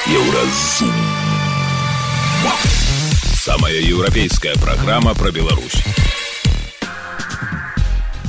Еўразум. Самая еўрапейская праграма пра Беларусь.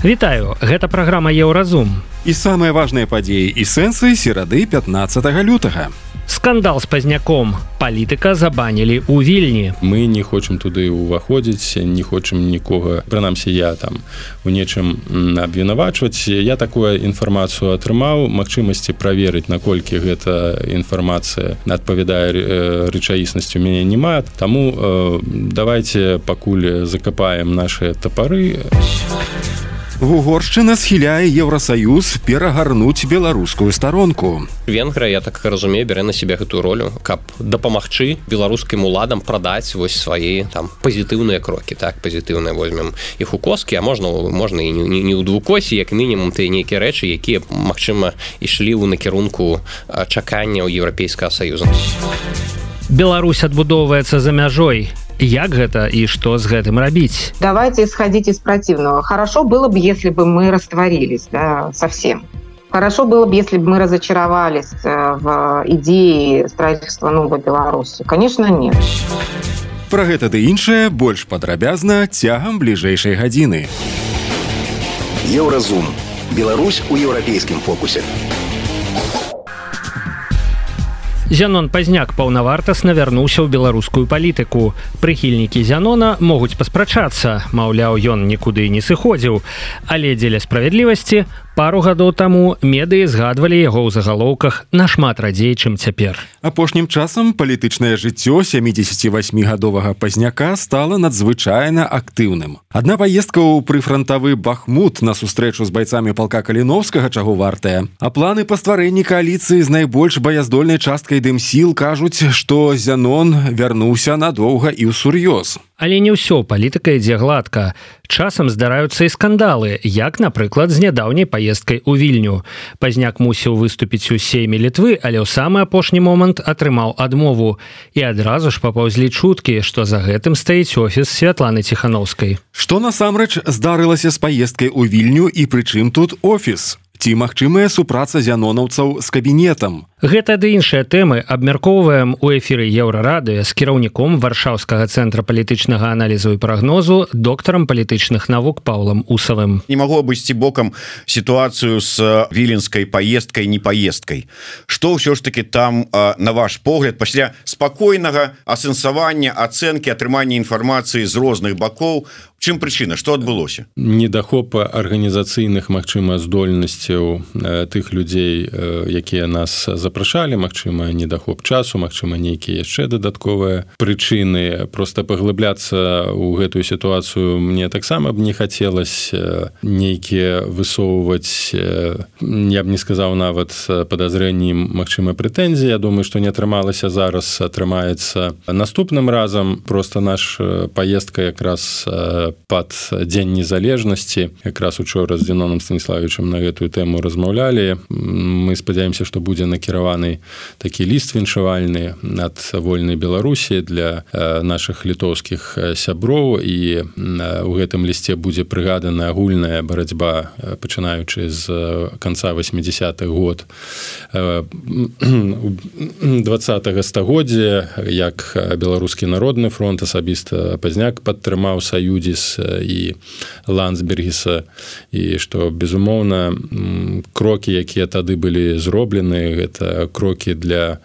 Вітаю, гэта праграма Еўразум. І самыя важныя падзеі і сэнсы серады 15 лютага. Скандал з пазняком. Палітыка забанілі ў Вільні. Мы не хочам туды ўваходзіць, не хочам нікога, прынамсі я там у нечым абвінавачваць. Я такую інфармацыю атрымаў, магчымасці праверыць, наколькі гэта інфармацыя адпавядае рэчаіснасці у мяне няма. Таму давайте пакуль закапаем нашыя тапары. Угоршчына схіляе Еўрасаюз перагарнуць беларускую старонку. Венгрыя, я так разумею, бярэ на себе гэтую ролю, каб дапамагчы беларускім уладам прадаць вось свае там пазітыўныя крокі, так, пазітыўныя возьмем іх у коскі, а можна і не ў двукосі, як мінімум тыя нейкія рэчы, якія, магчыма, ішлі ў накірунку чакання ў Еўрапейскага Саюза. Беларусь адбудоўваецца за мяжой. Як гэта и что с этим рабіць? Давайте исходить из противного. Хорошо было бы, если бы мы растворились, да, совсем. Хорошо было бы, если бы мы разочаровались в идее строительства новой Беларуси. Конечно, нет. Пра гэта ды іншае больш падрабязна цягам бліжэйшай гадзіны. Еўразум. Беларусь у еўрапейскім фокусе. Зянон Пазняк паўнавартасна вярнуўся ў беларускую палітыку. Прыхільнікі Зянона могуць паспрачацца, маўляў, ён нікуды не сыходзіў. Але дзеля справядлівасці, пару гадоў таму медыі згадвалі яго ў загалоўках нашмат радзей, чым цяпер. Апошнім часам палітычнае жыццё 78-гадовага Пазняка стала надзвычайна актыўным. Адна паездка ў прыфрантавы Бахмут на сустрэчу з байцамі палка Каліновскага чаго вартая. А планы па стварэнні кааліцыі з найбольш баяздольнай часткай дымсіл кажуць, што Зянон вярнуўся надоўга і ўсур'ёз. Але не ўсё палітыка ідзе гладка. Часам здараюцца і скандалы, як, напрыклад, з нядаўняй паездкай у Вільню. Пазняк мусіў выступіць у сейме Літвы, але ў самы апошні момант атрымаў адмову. І адразу ж папаўзлі чуткі, што за гэтым стаіць офіс Святланы Ціханаўскай. Што насамрэч здарылася з паездкай у Вільню і пры чым тут офіс? Ці магчымая супраца зянонаўцаў з кабінетам? Гэта ды іншыя тэмы абмяркоўваем у эфіры Еўрарадыё з кіраўніком Варшаўскага цэнтра палітычнага аналізу і прагнозу, доктарам палітычных навук Паўлам Усавым. Не магу абысці бокам сітуацыю з віленскай паездкай, не паездкай. Што ўсё ж таки там, на ваш погляд, пасля спакойнага асэнсавання, ацэнкі, атрымання інфармацыі з розных бакоў, чым прычына, што адбылося? Недахоп арганізацыйных, магчыма, здольнасцяў тых людзей, якія нас запрашалі, магчыма, недахоп часу, магчыма, нейкія яшчэ дадатковыя прычыны. Проста паглыбляцца ў гэтую сітуацыю мне таксама б не хацелася нейкія высоўваць, я б не сказаў нават падазрэнні, магчыма, прэтэнзіі. Я думаю, што не атрымалася зараз, атрымаецца наступным разам. Проста наш паездка якраз пад Дзень незалежнасці. Якраз учора з Зяноном Станіславовичам на гэтую тэму размаўлялі. Мы спадзяемся, што будзе накіраваны такі ліст віншавальны ад вольнай Беларусі для нашых літоўскіх сяброў, і ў гэтым лісце будзе прыгадана агульная барацьба, пачынаючы з канца 80-х год 20-го стагоддзя, як Беларускі народны фронт, асабіста Пазняк падтрымаў Саюдзіс і Ландсбергіса, і што, безумоўна, крокі, якія тады былі зроблены, гэта крокі для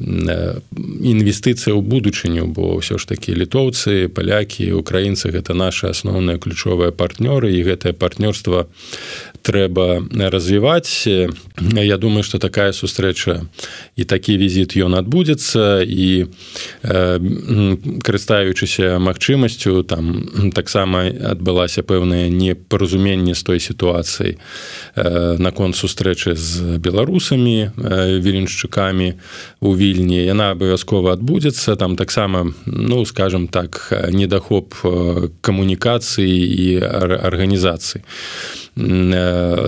інвестыцыі ў будучыню, бо ўсё ж такі літоўцы, палякі, украінцы — гэта нашы асноўныя ключовыя партнёры, і гэтае партнёрства трэба развіваць. Я думаю, што такая сустрэча і такі візіт ён адбудзецца, і карыстаючыся магчымасцю, там таксама адбылася пэўнае непаразуменне з той сітуацыяй наконт сустрэчы з беларусамі, віленшчыкамі у Вільні. Яна абавязкова адбудзецца. Там таксама, ну, скажем так, недахоп камунікацыі і арганізацыі.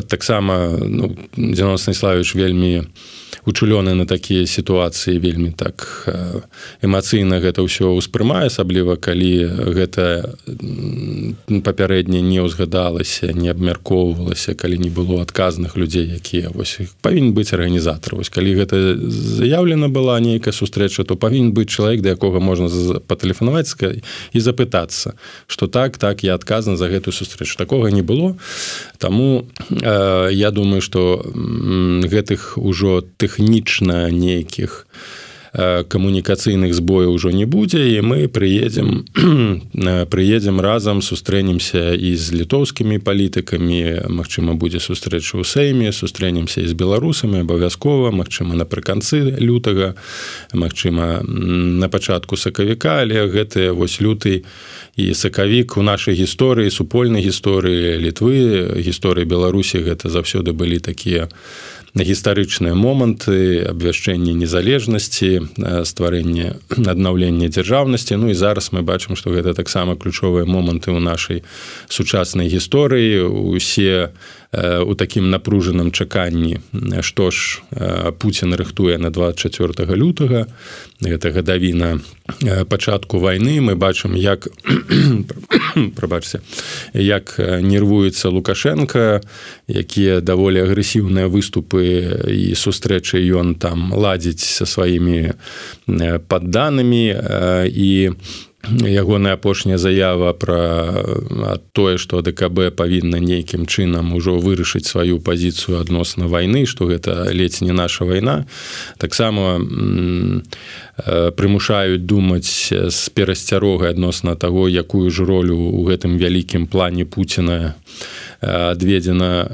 Таксама, ну, Зянон Станіславович вельмі учулёны на такія сітуацыі вельмі так эмацыйна гэта ўсё ўспрымае, асабліва калі гэта папярэдне не ўзгадалася, не абмяркоўвалася, калі не было адказных людзей, якія вось павінен быць арганізатар. Вось калі гэта заяўлена была нейкая сустрэча, то павінен быць чалавек, да якога можна патэлефанаваць і запытацца, што так, я адказны за гэтую сустрэчу. Такога не было. Таму я думаю, што гэтых ужо тэхнічна нейкіх камунікацыйных збояў ужо не будзе, і мы прыедзем разам, сустрэнемся і з літоўскімі палітыкамі, магчыма, будзе сустрэча ў Сейме, сустрэнемся і з беларусамі абавязкова, магчыма, напрыканцы лютага, магчыма, на пачатку сакавіка, але гэтыя вось люты і сакавік у нашай гісторыі, супольнай гісторыі Літвы, гісторыі Беларусі, гэта заўсёды былі такія гістарычныя моманты, абвяшчэння незалежнасці, стварэння, аднаўлення дзяржаўнасці. Ну і зараз мы бачым, што гэта таксама ключовыя моманты ў нашай сучаснай гісторыі. Усе у такім напружаным чаканні, што ж Пуцін рыхтуе на 24 лютага, гэта гадавіна пачатку вайны. Мы бачым, як нервуецца Лукашенко, якія даволі агрэсіўныя выступы і сустрэчы ён там ладзіць са сваімі падданымі, і ягоная апошняя заява пра тое, што ДКБ павінна нейкім чынам ужо вырашыць сваю пазіцыю адносна вайны, што гэта ледзь не наша вайна, таксама прымушаюць думаць з перасцярогай адносна таго, якую ж ролю ў гэтым вялікім плане Пуціна адведзена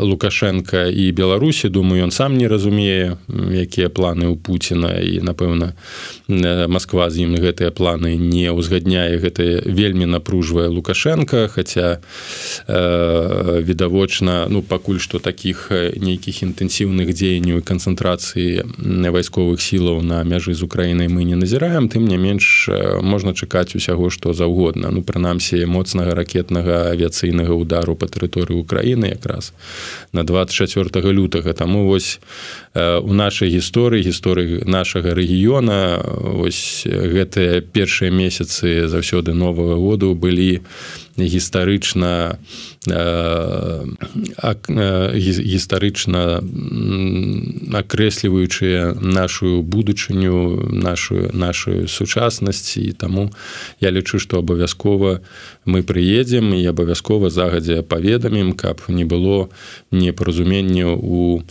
Лукашенко і Беларусі. Думаю, ён сам не разумее, якія планы ў Пуціна, і, напэўна, Масква з ім гэтыя планы не ўзгадняе. Гэта вельмі напружвае Лукашенко, хаця відавочна, пакуль што такіх нейкіх інтэнсіўных дзеянняў і канцэнтрацыі вайсковых сілаў на мяжы з Украінай мы не назіраем, тым не менш можна чакаць усяго што заўгодна. Прынамсі, моцнага ракетнага авіяцыйнага удару па тэрыторыі Украіны якраз на 24 лютага. Таму вось у нашай гісторыі нашага рэгіёна вось гэтыя першыя месяцы заўсёды Новага году былі гістарычна акрэсліваючыя нашу будучыню, нашу сучаснасць, і таму я лічу, што абавязкова мы прыедзем і абавязкова загадзя паведамім, каб не было непаразуменняў у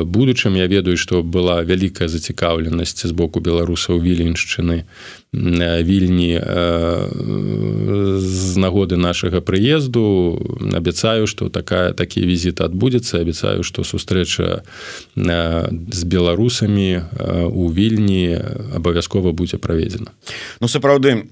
будучым. Я ведаю, што была вялікая зацікаўленасць з боку беларусаў Віленшчыны, Вільні з нагоды нашага прыезду. Абяцаю, што такі візіт адбудзецца. Абяцаю, што сустрэча з беларусамі у Вільні абавязкова будзе праведзена. Сапраўды,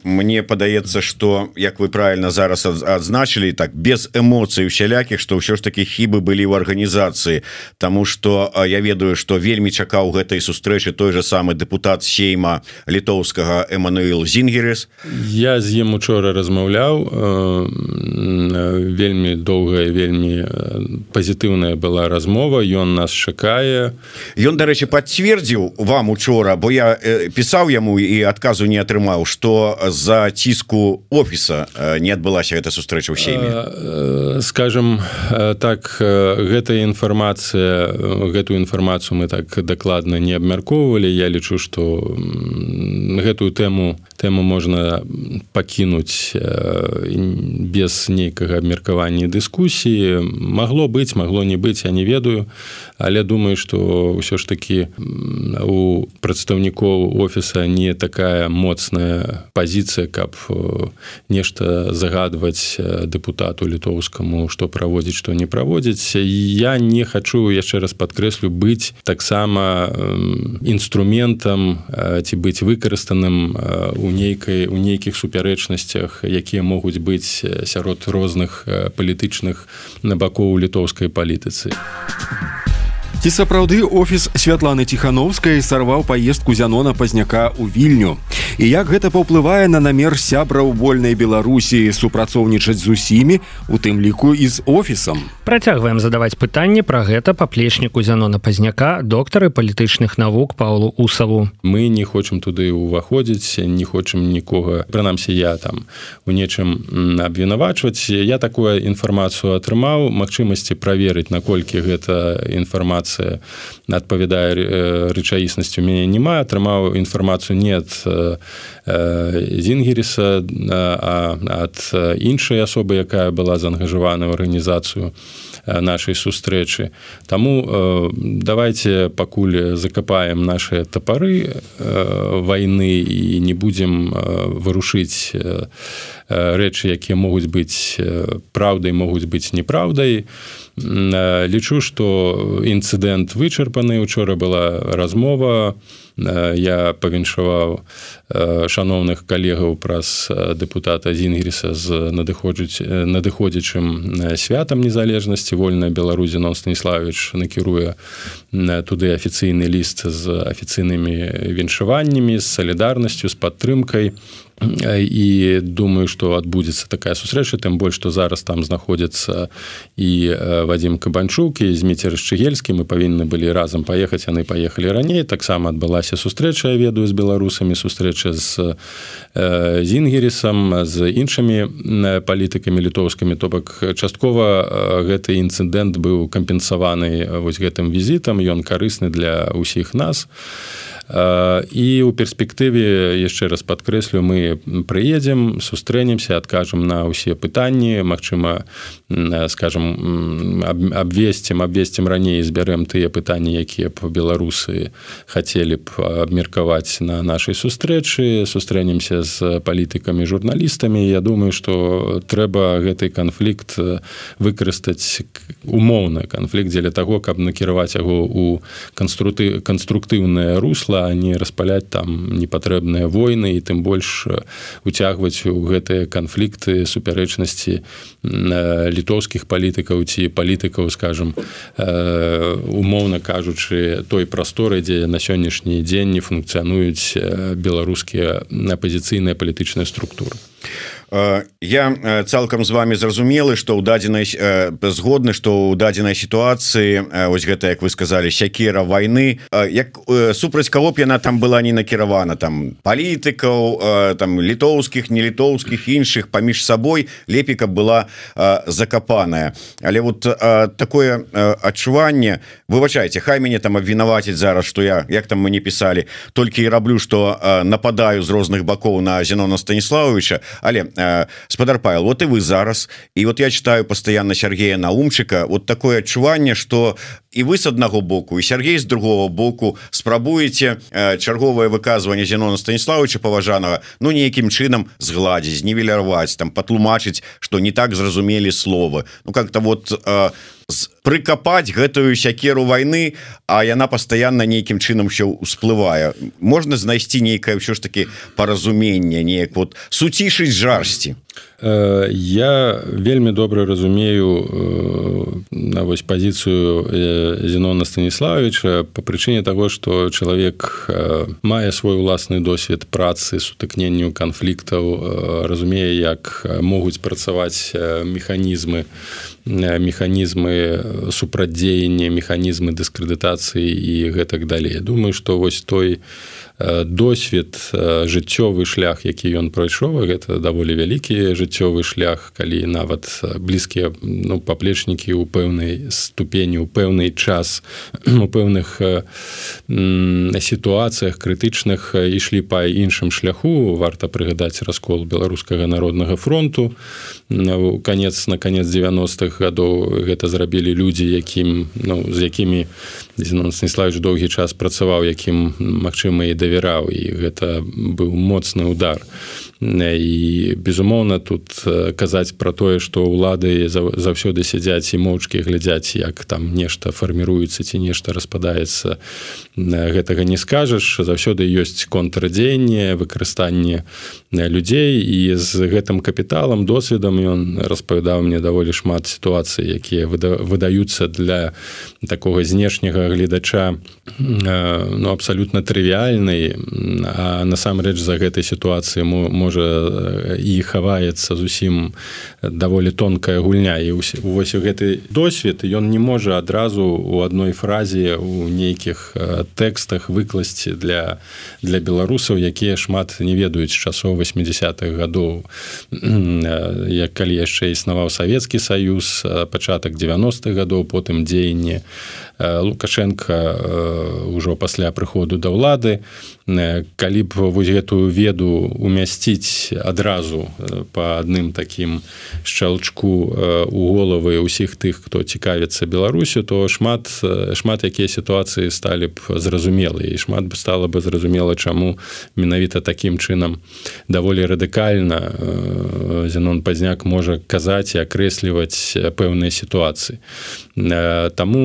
мне падаецца, што, як вы правильно зараз адзначылі, так без эмоцый усялякіх, што ўсё ж такі хібы былі ў арганізацыі, таму што я ведаю, што вельмі чакаў гэтай сустрэчы той же самы дэпутат Сейма літоўскага Эмануэл Зінгерес. Я з ім учора размаўляў, вельмі доўгая, вельмі пазітыўная была размова, ён нас чакае. Ён, дарэчы, пацвердзіў вам учора, бо я пісаў яму і адказу не атрымаў, што з-за ціску офіса не адбылася гэта сустрэча ў Сейме. Скажем так, гэтую інфармацыю мы так дакладна не абмяркоўвалі. Я лічу, што гэтую тэму можна пакінуць без нейкага абмеркавання і дыскусіі. Магло быць, магло не быць, я не ведаю, але думаю, што ўсё ж такі у прадстаўнікоў офіса не такая моцная пазіцыя, каб нешта загадваць дэпутату літоўскаму, што праводзіць, што не праводзіць. Я не хачу, яшчэ раз падкрэслю, быць таксама інструментам ці быць выкарыстаным у нейкіх супярэчнасцях, якія могуць быць сярод розных палітычных бакоў літоўскай палітыцы. Ці сапраўды офіс Святланы Ціхановскай сарваў паездку Зянона Пазняка ў Вільню? і як гэта паўплывае на намер сябраў вольнай Беларусі супрацоўнічаць з усімі, у тым ліку і з офісам. Працягваем задаваць пытанні пра гэта паплечніку Зянона Пазняка, доктары палітычных навук Паўлу Усаву. Мы не хочам туды ўваходзіць, не хочам нікога, прынамсі я там у нечым абвінавачваць. Я такую інфармацыю атрымаў, магчымасці праверыць, наколькі гэта інфармацыя адпавядае рэчаіснасці у мяне няма. Атрымаў інфармацыю не ад Зінгеріса, а ад іншай асобы, якая была заангажавана ў арганізацыю нашай сустрэчы. Таму давайте пакуль закапаем наши топары войны і не будем вырушыць рэчы, якія могуць быць праўдай, могуць быць неправдай. Лічу, што інцыдэнт вычарпаны. Учора была размова. Я павіншаваў шаноўных калегаў праз дэпутата Зінгеріса з надыходзячым святам незалежнасці. Вольная Беларусь Зенон Станіславович накіруе туды афіцыйны ліст з афіцыйнымі віншаваннямі, з салідарнасцю, з падтрымкай. І думаю, што адбудзецца такая сустрэча, тым больш, што зараз там знаходзяцца і Вадзім Кабанчук, і Зміцер Шчыгельскі. Мы павінны былі разам паехаць, яны паехалі раней. Таксама адбылася сустрэча, я ведаю, з беларусамі, сустрэча з Зінгерісам, з іншымі палітыкамі літоўскімі. То бок часткова гэты інцыдэнт быў кампенсаваны вось гэтым візітам, ён карысны для ўсіх нас. І ў перспектыве, яшчэ раз падкрэслю, мы прыедзем, сустрэнемся, адкажам на ўсе пытанні, магчыма, скажам, абвесцім раней, збярэм тыя пытанні, якія б беларусы хацелі б абмеркаваць на нашай сустрэчы, сустрэнемся з палітыкамі, журналістамі. Я думаю, што трэба гэты канфлікт выкарыстаць, умоўны канфлікт, дзеля таго, каб накіраваць яго ў канструктыўнае русло, а не распаляць там непатрэбныя войны і тым больш уцягваць у гэтыя канфлікты, супярэчнасці літоўскіх палітыкаў ці палітыкаў, скажам, умоўна кажучы, той прасторы, дзе на сённяшні дзень не функцыянуюць беларускія апазіцыйныя палітычныя структуры. Я цалкам з вами зразумелы, што ў дадзенай згодны, што ў дадзенай сітуацыі вось гэта, як вы сказалі, сякера вайны, як супраць каго б яна там была не накіравана, там палітыкаў, там літоўскіх, не літоўскіх, іншых паміж сабой, лепей каб была закапаная. Але вот такое адчуванне, выбачайце, хай мяне там абвінавацяць зараз, што я, як там мы не пісалі, толькі і раблю, што нападаю з розных бакоў на Зенона Станіславовича. Але спадар Павел, вот и вы зараз, и вот я читаю постоянно Сергея Наумчика, вот такое адчуванне, что и вы с одного боку, и Сергей с другого боку спрабуеце чарговае выказванне Зенона Станіславовича паважанага, ну нейкім чынам згладзіць, знівеляваць, там патлумачыць, что не так зразумелі словы. Ну как-то вот прыкапаць гэтую сякеру вайны, а яна пастаянна нейкім чынам ўсё ўсплывае. Можна знайсці нейкае ўсё ж таки паразуменне, неяк вот суцішыць жарсці. Я вельмі добра разумею на вось пазіцыю Зенона Станіславовича по прычыне таго, што чалавек мае свой уласны досвед працы, сутыкненню канфліктаў, разумее, як могуць працаваць механізмы супрадзеяння, механізмы дыскрэдытацыі і гэтак далей. Думаю, што вось той досвед, жыццёвы шлях, які ён прайшоў, гэта даволі вялікі жыццёвы шлях, калі нават блізкія паплечнікі ў пэўнай ступені, ў пэўны час, у пэўных сітуацыях крытычных ішлі па іншым шляху. Варта прыгадаць раскол Беларускага народнага фронту. На канец 90-х гадоў гэта зрабілі людзі, з якімі Зенон Станіславович доўгі час працаваў, якім, магчыма, і давяраў, і гэта быў моцны удар. І, безумоўна, тут казаць пра тое, што ўлады заўсёды сядзяць і моўчкі глядзяць, як там нешта фарміруецца ці нешта распадаецца, гэтага не скажаш. Заўсёды ёсць контрадзеянне, выкарыстанне людзей, і з гэтым капіталам, досведам ён распавядаў мне даволі шмат сітуацый, якія выдаюць здаюцца для такога знешняга гледача абсалютна трывіяльнай, а насамрэч за гэтай сітуацыі можа і хаваецца зусім даволі тонкая гульня. І вось гэты досвед ён не можа адразу у адной фразе у нейкіх тэкстах выкласці для беларусаў, якія шмат не ведаюць з часоў 80-х гадоў, як калі яшчэ існаваў Савецкі Саюз, пачатак 90-х гадоў, потым дзеянне Лукашенка ўжо пасля прыходу да ўлады. Калі б вось гэтую веду умясціць адразу па адным такім шчалчку у головы ўсіх тых, хто цікавіцца Беларусю, то шмат якія сітуацыі сталі б зразумелыя, і шмат бы стала бы зразумела, чаму менавіта такім чынам даволі радыкальна Зенон Пазняк можа казаць і акрэсліваць пэўныя сітуацыі. Таму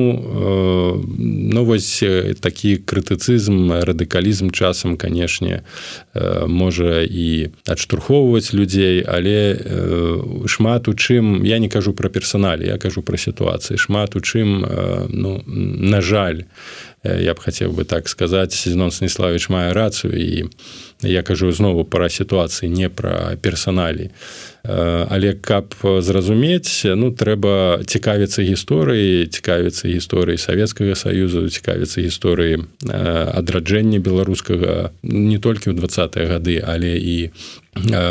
вось такі крытыцызм, радыкалізм часам, канешне, можа і адштурхоўваць людзей, але шмат у чым, я не кажу пра персаналі, я кажу пра сітуацыі, шмат у чым, на жаль, я б хацеў бы так сказаць, Зенон Станіславович мае рацыю, і я кажу знову пра сітуацыі, не пра персаналі. Але каб зразумець, трэба цікавіцца гісторыяй, цікавіцца гісторыяй Савецкага Саюзу, цікавіцца гісторыяй адраджэння беларускага не толькі ў 20-е гады, але і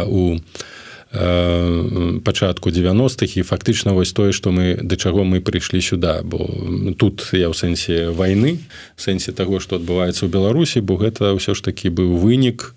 у пачатку 90-х, і фактычна вось тое, што да чаго мы прыйшлі сюда, бо тут я ў сэнсе вайны, в сэнсе таго, што адбываецца ў Беларусі, бо гэта ўсё ж такі быў вынік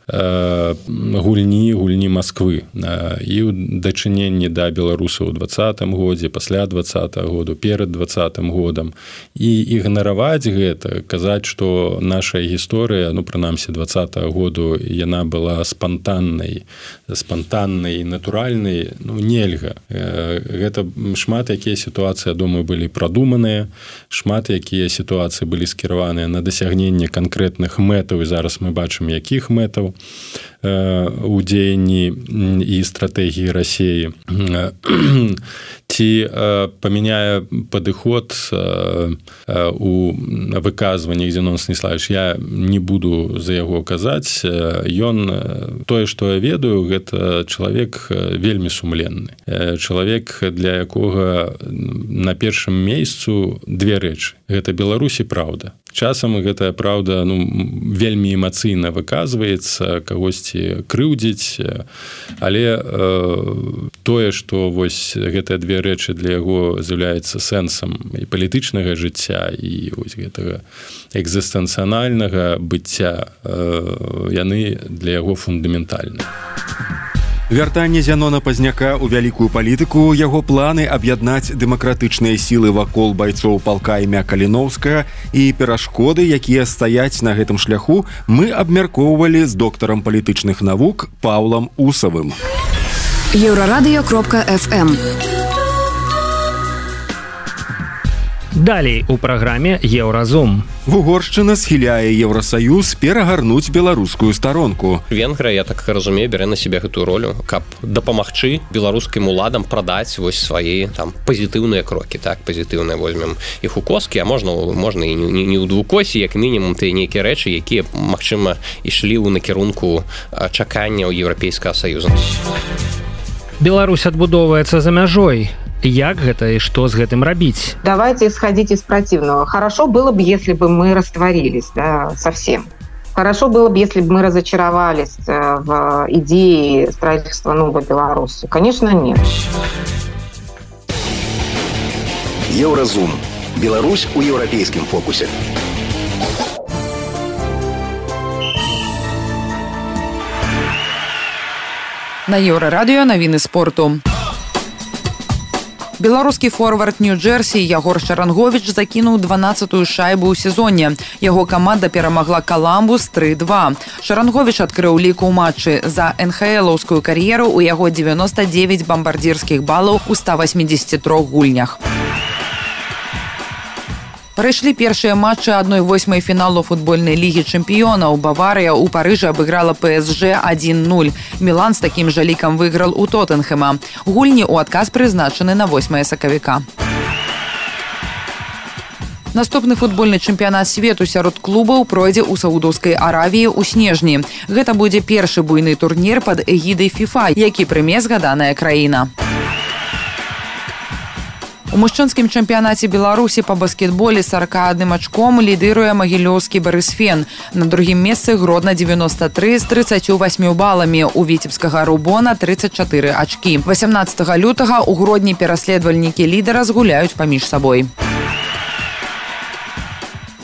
гульні Масквы і ў дачыненні да беларусаў у 20-м годзе, пасля 20-го году, перад 20-м годам. І ігнараваць гэта, казаць, што наша гісторыя, прынамсі 20-го году, яна была спантаннай і натуральнай, нельга. Гэта шмат якія сітуацыі, я думаю, былі прадуманыя, шмат якія сітуацыі былі скіраваныя на дасягненне канкрэтных мэтаў, і зараз мы бачым, якіх мэтаў у дзеянні і стратэгіі Расіі. Ці памяняе падыход у выказваннях Зенон Станіславович, я не буду за яго казаць. Ён, тое, што я ведаю, гэта чалавек вельмі сумленны. Чалавек, для якога на першым месцу две рэчы. Гэта Беларусь і праўда. Часам гэтая праўда вельмі эмацыйна выказваецца, кагосьці крыўдзіць, але тое, што вось гэтыя две рэчы для яго з'яўляецца сэнсам і палітычнага жыцця, і вось гэтага экзістэнцыянальнага быцця, яны для яго фундаментальны. Вяртанне Зянона Пазняка ў вялікую палітыку, яго планы аб'яднаць дэмакратычныя сілы вакол байцоў палка імя Каліноўскага і перашкоды, якія стаяць на гэтым шляху, мы абмяркоўвалі з доктарам палітычных навук Паўлам Усавым. Еўрарадыё.фм. Далей у праграме Еўразум. Угоршчына схіляе Еўрасаюз перагарнуць беларускую старонку. Венгрыя, я так разумею, бярэ на себе гэтую ролю, каб дапамагчы беларускім уладам прадаць вось свае пазітыўныя крокі, так, пазітыўныя возьмем іх у коскі, а можна і не ў двукосі, як мінімум ты нейкія рэчы, якія, магчыма, ішлі ў накірунку чакання ў Еўрапейскага Саюза. Беларусь адбудоўваецца за мяжой. Як гэта и что с гэтым рабіць? Давайте исходить из противного. Хорошо было бы, если бы мы растворились, да, совсем. Хорошо было бы, если бы мы разочаровались в идее строительства новой Беларуси. Конечно, нет. Еўразум. Беларусь у еўрапейскім фокусе. На Еўрарадыё навіны спорту. Беларускі форвард Нью-Джерсі Ягор Шаранговіч закінуў 12-ю шайбу ў сезоне. Яго каманда перамагла Каламбус 3-2. Шаранговіч адкрыў лік у матчы. За НХЛаўскую кар'еру ў яго 99 бамбардзірскіх балаў у 183 гульнях. Прайшлі першыя матчы 1/8 фіналу футбольнай лігі чэмпіёнаў. Баварыя ў Парыжы абыграла ПСЖ 1-0. Мілан з такім жа лікам выйграл у Тоттенхэма. Гульні ў адказ прызначаны на 8 сакавіка. Наступны футбольны чэмпіянат свету сярод клубаў пройдзе ў Саудаўскай Аравіі ў снежні. Гэта будзе першы буйны турнір пад эгідай FIFA, які прыме згаданая краіна. У мужчынскім чэмпіянаце Беларусі па баскетболе 41 ачком лідыруе магілёўскі Барысфен. На другім месцы Гродна 93 з 38 баламі. У віцебскага Рубона 34 ачкі. 18 лютага ў Гродні пераследавальнікі лідара згуляюць паміж сабой.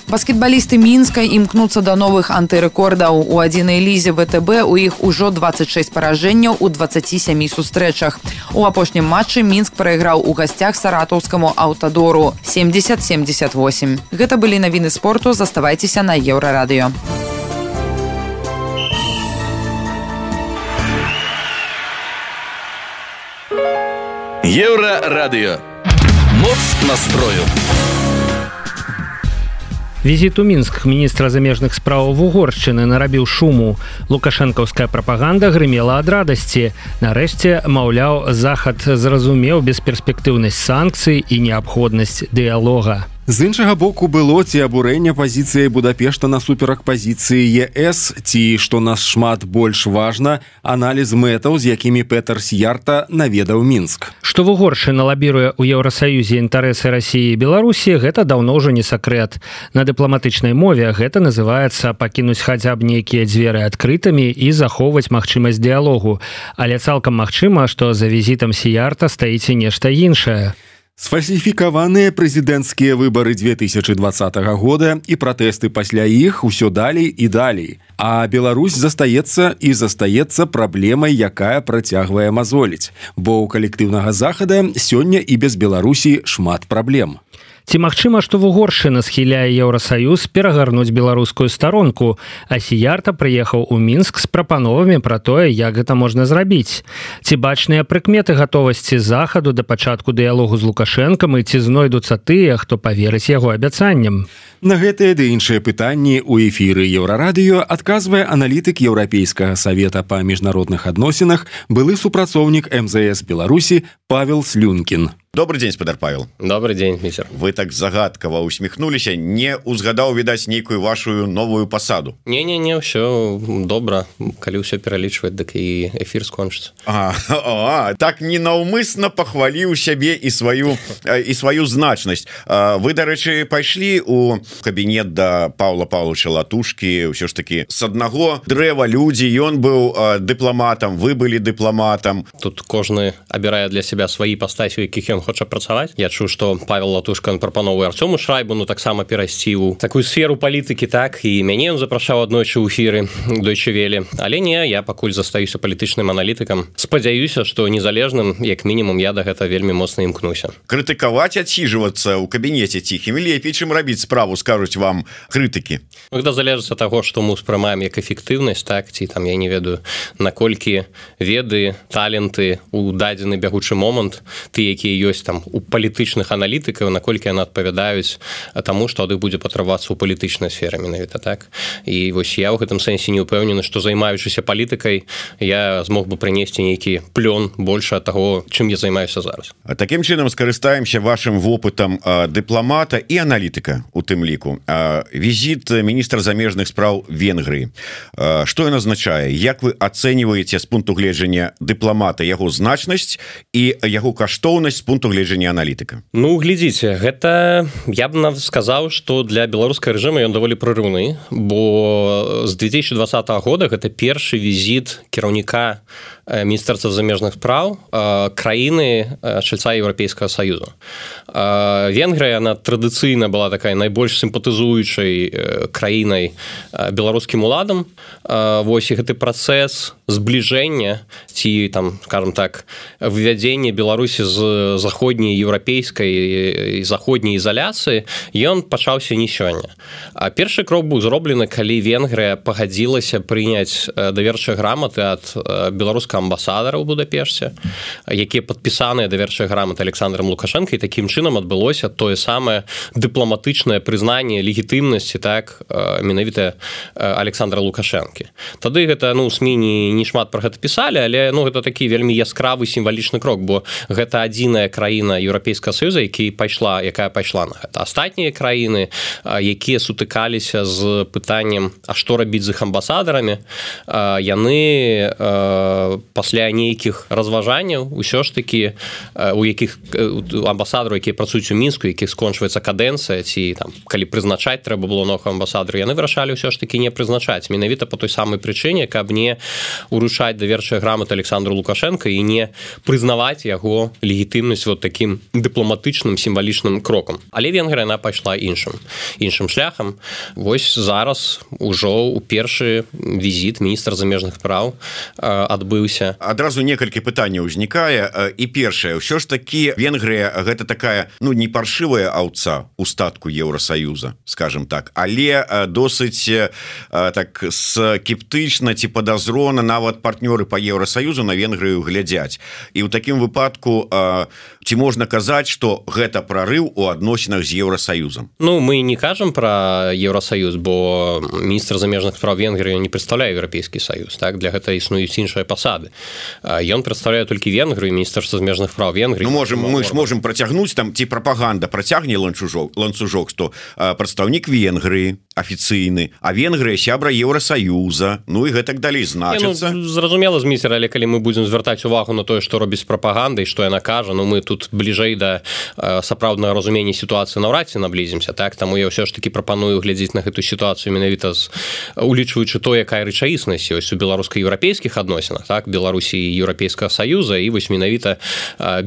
Баскетбалісты Мінска імкнуцца да новых антырэкордаў. У адзінай лізе ВТБ у іх ужо 26 паражэнняў у 27 сустрэчах. У апошнім матчы Мінск прайграў у гасцях саратаўскаму Аўтадору 70-78. Гэта былі навіны спорту, заставайцеся на Еўрарадыё. Еўрарадыё. Моц настрою. Візіт у Мінск міністра замежных спраў Угоршчыны нарабіў шуму. Лукашэнкаўская прапаганда грымела ад радасці. Нарэшце, маўляў, Захад зразумеў бесперспектыўнасць санкцый і неабходнасць дыялога. З іншага боку было ці абурэнне пазіцыяй Будапешта насуперак пазіцыі ЕС, ці, што нас шмат больш важна, аналіз мэтаў, з якімі Петер Сьярта наведаў Мінск. Што Угоршчына лабіруе ў Еўрасаюзе інтарэсы Расіі і Беларусі, гэта даўно ўжо не сакрэт. На дыпламатычнай мове гэта называецца пакінуць хаця б нейкія дзверы адкрытымі і захоўваць магчымасць дыялогу. Але цалкам магчыма, што за візітам Сьярта стаіць і нешта іншае. Сфальсіфікаваныя прэзідэнцкія выбары 2020 года і пратэсты пасля іх усё далей і далей. А Беларусь застаецца праблемай, якая працягвае мазоліць. Бо ў калектыўнага Захада сёння і без Беларусі шмат праблем. Ці магчыма, што Угоршчына схіляе Еўрасаюз перагарнуць беларускую старонку, а Сьярта прыехаў у Мінск з прапановамі пра тое, як гэта можна зрабіць? Ці бачныя прыкметы гатовасці Захаду да пачатку дыялогу з Лукашэнкам і ці знойдуцца тыя, хто паверыць яго абяцанням? На гэтыя ды іншыя пытанні ў эфіры Еўрарадыё адказвае аналітык Еўрапейскага савета па міжнародных адносінах, былы супрацоўнік МЗС Беларусі Павел Слюнкін. Добрый день, спадар Павел. Добрый день, мистер. Вы так загадкава усміхнуліся, не узгадаў, відаць, нейкую вашу новую пасаду. Не, ўсё добра, калі ўсё пералічваць, дык і эфір скончыцца. Так ненаўмысна пахваліў сябе і сваю значнасць. Вы, дарэчы, пайшлі у кабінет да Паўла Паўловича Латушкі, ўсё ж такі з аднаго дрэва людзі, ён быў дыпламатам, вы былі дыпламатам. Тут кожны абірае для сябе свае пастасі, у якіх ён хоча працаваць. Я чуў, што Павел Латушка прапановвае Арцёму Шрайбуну таксама перайсці ў такую сферу палітыкі, так, і мяне ён запрашаў аднойчы ў эфіры Deutsche Welle. Але не, я пакуль застаюся палітычным аналітыкам. Спадзяюся, што незалежным, як мінімум, я да гэта вельмі моцна імкнуся. Крытыкаваць, адсіжвацца ў кабінеце ціхім лепей, чым рабіць справу, скажуць вам крытыкі. Гэта залежыць ад таго, што мы ўспрымаем як эфектыўнасць, так, ці там, я не ведаю, наколькі веды, таленты ў дадзены бягучы момант, ты, якія ёсць там у палітычных аналітыкаў, наколькі яны адпавядаюць таму, што ад іх будзе патрабавацца ў палітычнай сферы менавіта, так. І вось я ў гэтым сэнсе не ўпэўнены, што займаючыся палітыкай, я змог бы прынесці нейкі плён больше ад таго, чым я займаюся зараз. Такім чынам скарыстаемся вашым вопытам дыпламата і аналітыка у тым ліку. Візіт міністра замежных спраў Венгрыі. Што ён азначае? Як вы ацэньваеце з пункту гледжання дыпламата яго значнасць і яго каштоўнасць з пункту гледжання аналітыка? Ну, глядзіце, гэта, я б сказаў, што для беларускага рэжыма ён даволі прорыўны, бо з 2020 года гэта першы візіт кіраўніка Міністэрства замежных спраў краіны чальца Еўрапейскага Саюзу. Венгрыя, она традыцыйна была такая найбольш сімпатызуючай краінай беларускім уладам. Вось і гэты працэс збліжэння ці там, скажем так, вывядзення Беларусі з заходняй еўрапейскай і заходняй ізаляцыі, ён пачаўся не сёння. Першы крок быў зроблены, калі Венгрыя пагадзілася прыняць даверчыя граматы ад беларускага амбасадара ў Будапешце, якія падпісаныя даверчыя граматы Александром Лукашенко, і такім чынам адбылося тое самае дыпламатычнае прызнанне легітымнасці, так, менавіта Александра Лукашэнкі. Тады гэта, СМІ не шмат про гэта пісалі, але ну гэта такі вельмі яскравы сімвалічны крок, бо гэта адзіная краіна Еўрапейскага Саюза, якая пайшла на гэта. Астатнія краіны, якія сутыкаліся з пытаннем, а што рабіць з іх амбасадарамі, яны пасля нейкіх разважанняў усё ж такі у якіх амбасадараў, якія працуюць у Мінску, якіх скончваецца кадэнцыя, ці там калі прызначаць трэба было новых амбасадараў, яны вырашалі ўсё ж такі не прызначаць, менавіта по той самай прычыне, каб не уручаць даверчыя граматы Александру Лукашенко і не прызнаваць яго легітымнасць вот такім дыпламатычным сімвалічным крокам. Але Венгрыя яна пайшла іншым шляхам. Вось зараз ужо у першы візіт міністр замежных спраў адбыўся. Адразу некалькі пытанняў узнікае. І першае, ўсё ж такі Венгрыя гэта такая, ну, не паршывая аўца у статку Еўрасаюза, скажем так, але досыць так скептычна ці падазрона нават партнёры па Еўрасаюзу на Венгрыю глядзяць. І ў такім выпадку ці можна казаць, што гэта прарыў у адносінах з Еўрасаюзам? Ну, мы не кажам пра Еўрасаюз, бо міністр замежных спраў Венгрыі не прадстаўляе Еўрапейскі Саюз, так? Для гэта існуюць іншыя пасады. Ён прадстаўляе толькі Венгрыю, міністэрства замежных спраў Венгрыі. Ну, мы ж можем працягнуць там, ці прапаганда працягне ланцужок, што прадстаўнік Венгрыі афіцыйны, а Венгрыя сябра Еўрасаюза, ну і гэтак далей значыцца. Ну, зразумела, Зміцер, але калі мы будзем звяртаць увагу на тое, што робіць прапаганда і што яна кажа, ну мы тут бліжэй да сапраўднага разумення сітуацыі наўрад ці наблізімся, так? Таму я ўсё ж такі прапаную глядзець на гэту сітуацыю менавіта улічваючы то, якая рэчаіснасць ёсць у беларуска-еўрапейскіх адносінах, так? Беларусі і Еўрапейскага Саюза, і вось менавіта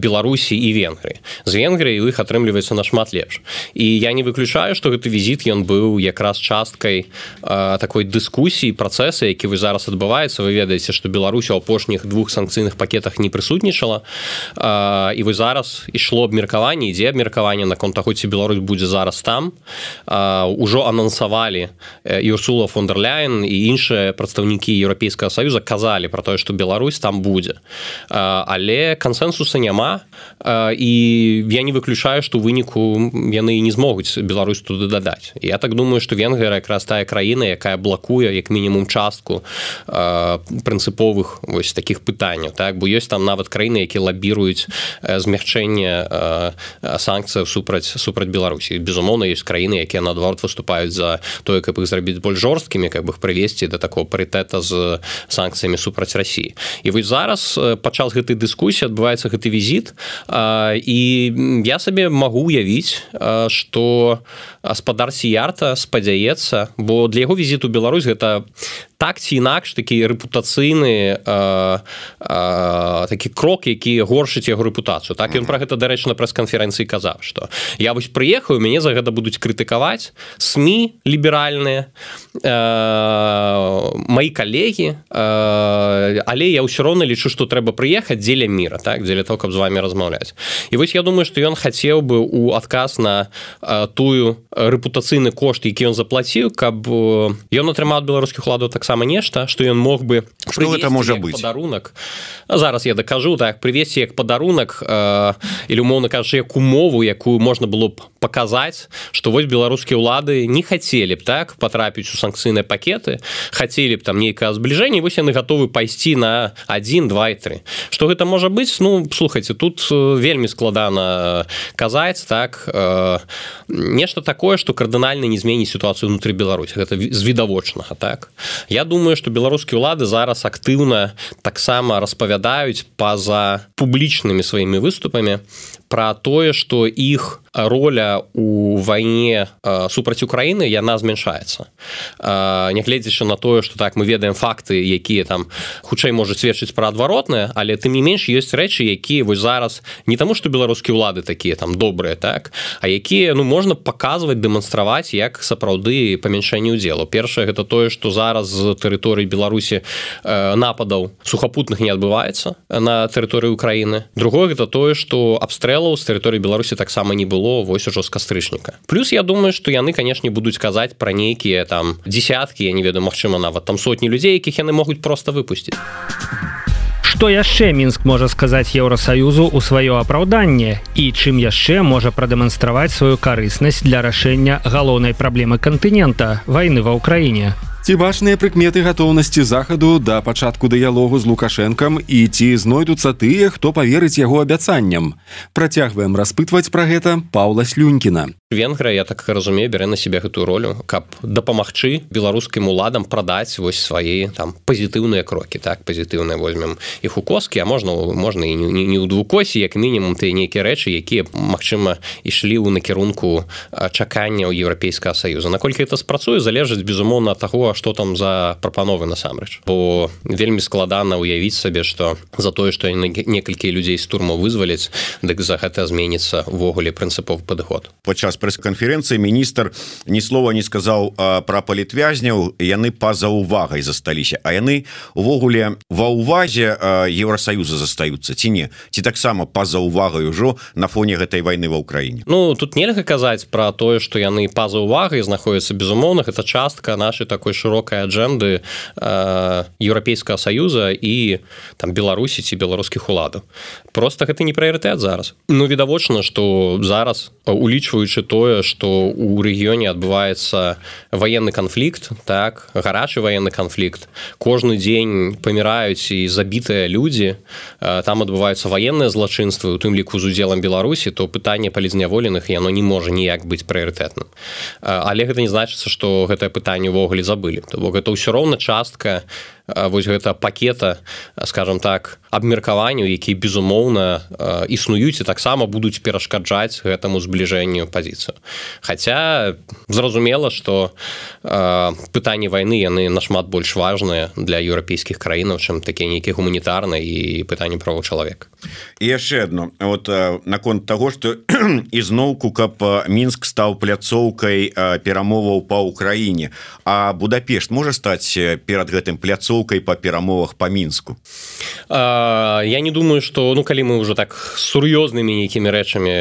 Беларусі і Венгрыі. З Венгрыі у іх атрымліваецца нашмат лепш. І я не выключаю, што гэты візіт ён быў якраз часткай такой дыскусіі, працэса, які вы зараз адбываецца. Вы ведаеце, што Беларусь у апошніх 2 санкцыйных пакетах не прысутнічала, і вы зараз ішло абмеркаванне, ідзе абмеркаванне наконт таго, ці Беларусь будзе зараз там. Ужо анансавалі і Урсула фон дер Ляйен і іншыя прадстаўнікі Еўрапейскага Саюза казалі пра тое, што Беларусь там будзе. Але кансэнсуса няма, і я не выключаю, што ў выніку яны не змогуць Беларусь туды дадаць. Я так думаю, што Венгрыя якраз тая краіна, якая блакуе як мінімум частку прынцыповых вось такіх пытанняў, так? Бо ёсць там нават краіны, якія лабіруюць змягчэнне санкцыяў супраць Беларусі. Безумоўна, ёсць краіны, якія наадварот выступаюць за тое, каб іх зрабіць больш жорсткімі, каб іх прывесці да такого парытэта з санкцыямі супраць Расіі. І вось зараз падчас гэтай дыскусіі адбываецца гэты візіт, і я сабе магу уявіць, што гаспадар Сіярта спадзяецца, бо для яго візіту ў Беларусь гэта так ці інакш такі рэпутацыйны такі крок, які горшыць яго рэпутацыю. Так, ён пра гэта, дарэчы, на прэс-канферэнцыі казаў, што я вось прыехаў, мяне за гэта будуць крытыкаваць СМІ ліберальныя, маі калегі, але я ўсё роўна лічу, што трэба прыехаць дзеля міра, так, дзеля того, каб з вамі размаўляць. І вось я думаю, што ён хацеў бы у адказ на тую рэпутацыйны кошт, які ён заплаціў, каб ён атрымаў ад беларускіх уладаў таксама нешта, што ён мог бы прывесці як падарунак. Зараз я дакажу, так, прывесці як падарунак, или умоўна кажучы, як умову, якую можна было б паказаць, што вось беларускія ўлады не хацелі б, так, патрапіць у санкцыйныя пакеты, хацелі б там нейкае збліжэнне, вось яны гатовы пайсці на 1, 2 і 3. Што гэта можа быць? Ну, слухайце, тут вельмі складана казаць, так, нешта такое, што кардынальна не зменіць сітуацыю ўнутры Беларусі. Гэта з відавочнага, так. Я думаю, што беларускія ўлады зараз актыўна таксама распавядаюць па-за публічнымі сваімі выступамі пра тое, што іх роля у вайне супраць Украіны, яна змяншаецца. Нягледзячы на тое, што так мы ведаем факты, якія там хутчэй можуць сведчыць пра адваротнае, але тым не менш ёсць рэчы, якія вось зараз не таму, што беларускія ўлады такія там добрыя, так, а якія, ну, можна паказваць, дэманстраваць як сапраўды памяншэнне ўдзелу. Першае, гэта тое, што зараз з тэрыторыі Беларусі нападаў сухапутных не адбываецца на тэрыторыі Украіны. Другое, гэта тое, што абстрэлаў з тэрыторыі Беларусі таксама не было вось ужо з кастрычніка. Плюс я думаю, што яны, канешне, будуць казаць пра нейкія там дзесяткі, я не ведаю, магчыма, нават там сотні людзей, якіх яны могуць проста выпусціць. Што яшчэ Мінск можа сказаць Еўрасаюзу ў сваё апраўданне і чым яшчэ можа прадэманстраваць сваю карыснасць для рашэння галоўнай праблемы кантынента – вайны ва ўкраіне? Ці бачныя прыкметы гатоўнасці захаду да пачатку дыялогу з Лукашэнкам і ці знойдуцца тыя, хто паверыць яго абяцанням? Працягваем распытваць пра гэта Паўла Слюнькіна. Венгрыя, я так разумею, бярэ на себе гэтую ролю, каб дапамагчы беларускім уладам прадаць вось свае там пазітыўныя крокі, так, пазітыўныя возьмем іх у коскі, а можна і не ў двукосі, як мінімум тыя нейкія рэчы, якія, магчыма, ішлі ў накірунку чакання ў Еўрапейскага Саюза. Наколькі гэта спрацуе, залежыць, безумоўна, ад таго, што там за прапановы насамрэч. Бо вельмі складана ўявіць сабе, што за тое, што некалькі людзей з турмаў вызваляць, дык за гэта зменіцца ўвогуле прынцыповы падыход. Падчас прэс-канферэнцыі міністр ні слова не сказаў пра палітвязняў, яны па-за ўвагай засталіся, а яны увогуле ва ўвазе Еўрасаюза застаюцца, ці не? Ці таксама па-за ўвагай ужо на фоне гэтай вайны ва ўкраіне? Ну, тут нельга казаць пра тое, што яны па-за ўвагай знаходзяцца, безумоўна, гэта частка нашай такой шырокай аджэнды Еўрапейскага Саюза і там Беларусі ці беларускіх уладаў. Проста гэта не прыярытэт зараз. Ну, відавочна, што зараз, улічваючы тое, што ў рэгіёне адбываецца ваенны канфлікт, так, гарачы ваенны канфлікт, кожны дзень паміраюць і забітыя людзі, там адбываюцца ваенныя злачынствы, у тым ліку з удзелам Беларусі, то пытанне палізняволеных, яно не можа ніяк быць прыярытэтным. Але гэта не значыцца, што гэтае пытанне ўвогуле забылі. То бок гэта ўсё роўна частка вось гэта пакета, скажем так, абмеркаванняў, якія, безумоўна, існуюць і таксама будуць перашкаджаць гэтаму збліжэнню пазіцыю. Хаця зразумела, што пытанні вайны, яны нашмат больш важныя для еўрапейскіх краінаў, чым такія нейкія гуманітарныя і пытанні правоў чалавека. І яшчэ адно, вот наконт таго, што ізноўку, каб Мінск стаў пляцоўкай перамоваў па ўкраіне, а Будапешт можа стаць перад гэтым пляцоўкай па перамовах па Мінску? Я не думаю, што, ну, калі мы ўжо так сур'ёзнымі нейкімі рэчамі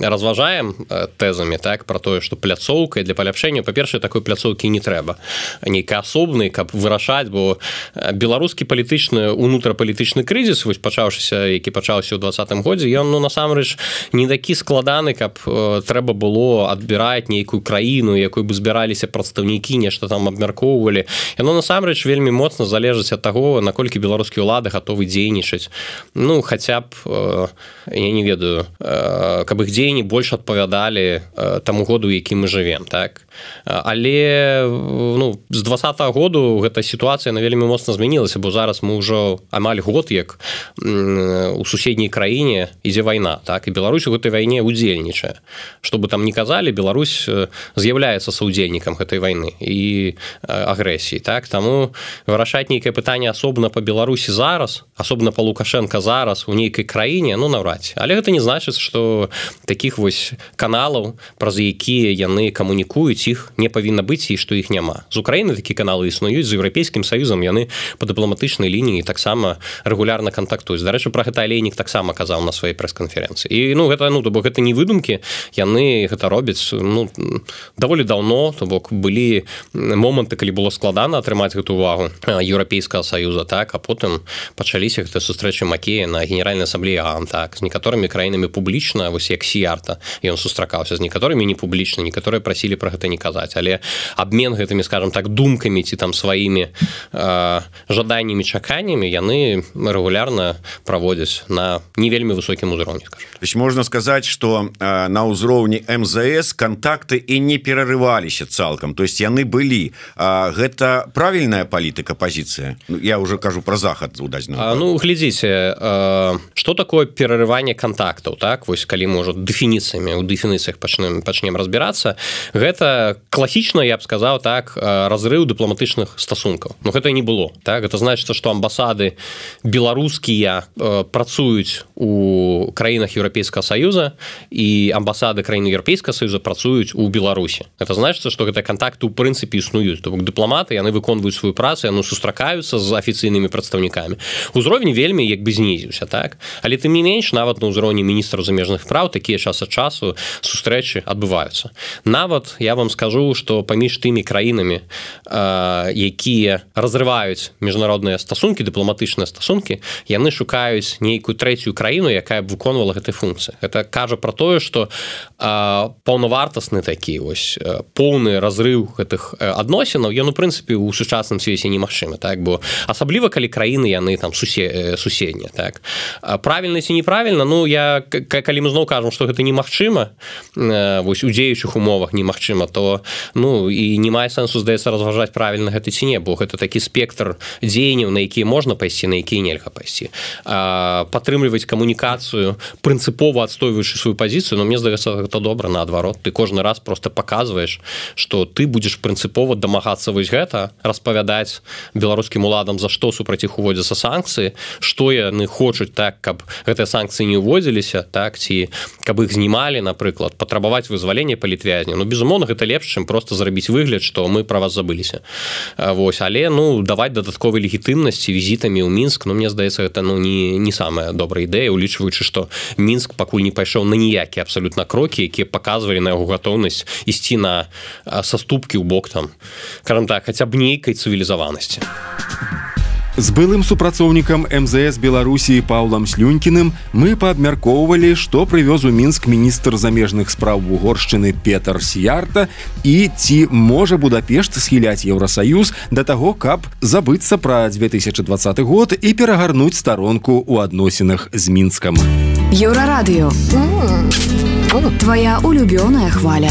разважаем тэзамі, так, пра тое, што пляцоўкай для паляпшэння, па-першае, такой пляцоўкі не трэба. Нейкай асобнай, каб вырашаць, бо беларускі палітычны, унутрапалітычны крызіс, вось пачаўшыся, які пачаўся ў 20-м годзе, ён, ну, насамрэч, не такі складаны, каб трэба было адбіраць нейкую краіну, якой бы збіраліся прадстаўнікі, нешта там абмяркоўвалі. Яно насамрэч вельмі моцна залежыць ад таго, наколькі беларускія ўлады гатовы дзейнічаць. Ну, хаця б, я не ведаю, каб іх дзеянні больш адпавядалі таму году, які мы жывем, так? Але, ну, з 20-го году гэта сітуацыя, на вельмі моцна змянілася, бо зараз мы ўжо амаль год, як у суседняй краіне ідзе вайна, так? І Беларусь у гэтай вайне удзельнічае. Што бы там ні казалі, Беларусь з'яўляецца саўдзельнікам гэтай вайны і агрэсіі, так? Таму вырашаць нейкае пытанне асобна па Беларусі зараз, асобна па Лукашэнка зараз у нейкай краіне, ну, наўрад ці. Але гэта не значыць, што такіх вось каналаў, праз якія яны камунікуюць, іх не павінна быць і што іх няма. З Украіны такі каналы існуюць, з Еўрапейскім Саюзам яны па дыпламатычнай лініі таксама рэгулярна кантактуюць. Дарэчы, пра гэта Алейнік таксама казаў на сваёй прэс-канферэнцыі. І, ну, гэта, ну, то бок гэта не выдумкі, яны гэта робяць, ну, даволі даўно, то бок былі моманты, калі было складана атрымаць гэту увагу Еўрапейскага Саюза, так, а потым пачаліся гэтыя сустрэчы Макея на Генеральнай асамблеі ООН, так, з некаторымі краінамі публічна, вось як Сіярта, ён сустракаўся, з некаторымі не публічна, некаторыя прасілі пра гэта не казаць, але абмен гэтымі, скажем так, думкамі ці там сваімі жаданнямі, чаканнямі яны рэгулярна праводзяць на не вельмі высокім узроўні, скажем. То есть можна сказаць, што на ўзроўні МЗС кантакты і не перарываліся цалкам, то есть яны былі. Гэта правільная палітыка, пазіцыя? Я уже кажу пра захад у дадзеным. Ну, глядзіце, што такое перарыванне кантактаў, так? Вось калі мы ўжо дэфініцыямі, у дэфініцыях пачнем разбірацца, гэта класічна, я б сказаў, так, разрыў дыпламатычных стасункаў. Ну, гэта не было, так? Гэта значыцца, што амбасады беларускія працуюць у краінах Еўрапейскага Саюза і амбасады краін Еўрапейскага Саюза працуюць у Беларусі. Гэта значыцца, што гэтыя кантакты ў прынцыпе існуюць. То бок дыпламаты, яны выконваюць сваю працу інфармацыя, сустракаюцца з афіцыйнымі прадстаўнікамі. Узровень вельмі як бы знізіўся, так? Але тым не менш, нават на ўзроўні міністраў замежных спраў такія час ад часу сустрэчы адбываюцца. Нават я вам скажу, што паміж тымі краінамі, якія разрываюць міжнародныя стасункі, дыпламатычныя стасункі, яны шукаюць нейкую трэцюю краіну, якая б выконвала гэтай функцыі. Гэта кажа пра тое, што паўнавартасны такі поўны разрыў гэтых адносінаў, ён у прынцыпе у сучасным свеце немагчымы, так? Бо асабліва калі краіны яны там суседнія, так? Правільна ці неправільна, калі мы зноў кажам, што гэта немагчыма, вось у дзеючых умовах немагчыма, то і не мае сэнсу, здаецца, разважаць правільна гэта ці не, бо гэта такі спектр дзеянняў, на якія можна пайсці, на якія нельга пайсці. Падтрымліваць камунікацыю, прынцыпова адстойваючы сваю пазіцыю, мне здаецца, гэта добра, наадварот. Ты кожны раз просто паказваеш, што ты будзеш прынцыпова дамагацца вось гэта, распавядаць беларускім уладам, за што супраць іх уводзяцца санкцыі, што яны хочуць, так, каб гэтыя санкцыі не ўводзіліся, так, ці каб іх знімалі, напрыклад, патрабаваць вызвалення палітвязня. Безумоўна, гэта лепш, чым просто зрабіць выгляд, што мы пра вас забыліся. Вось, але, даваць дадатковай легітымнасці візітамі ў Мінск, мне здаецца, гэта, не самая добрая ідэя, улічваючы, што Мінск пакуль не пайшоў на ніякія абсалютна крокі, якія паказвалі на яго гатоўнасць ісці на саступкі ў бок там, скажам так, хаця б нейкай цывілізаванасці. З былым супрацоўнікам МЗС Беларусі Паўлам Слюнькіным мы паабмяркоўвалі, што прывёз у Мінск міністр замежных спраў Угоршчыны Петар Сіярта і ці можа Будапешт схіляць Еўрасаюз да таго, каб забыцца пра 2020 год і перагарнуць старонку ў адносінах з Мінскам. Еўрарадыё. Твоя улюбёная хваля.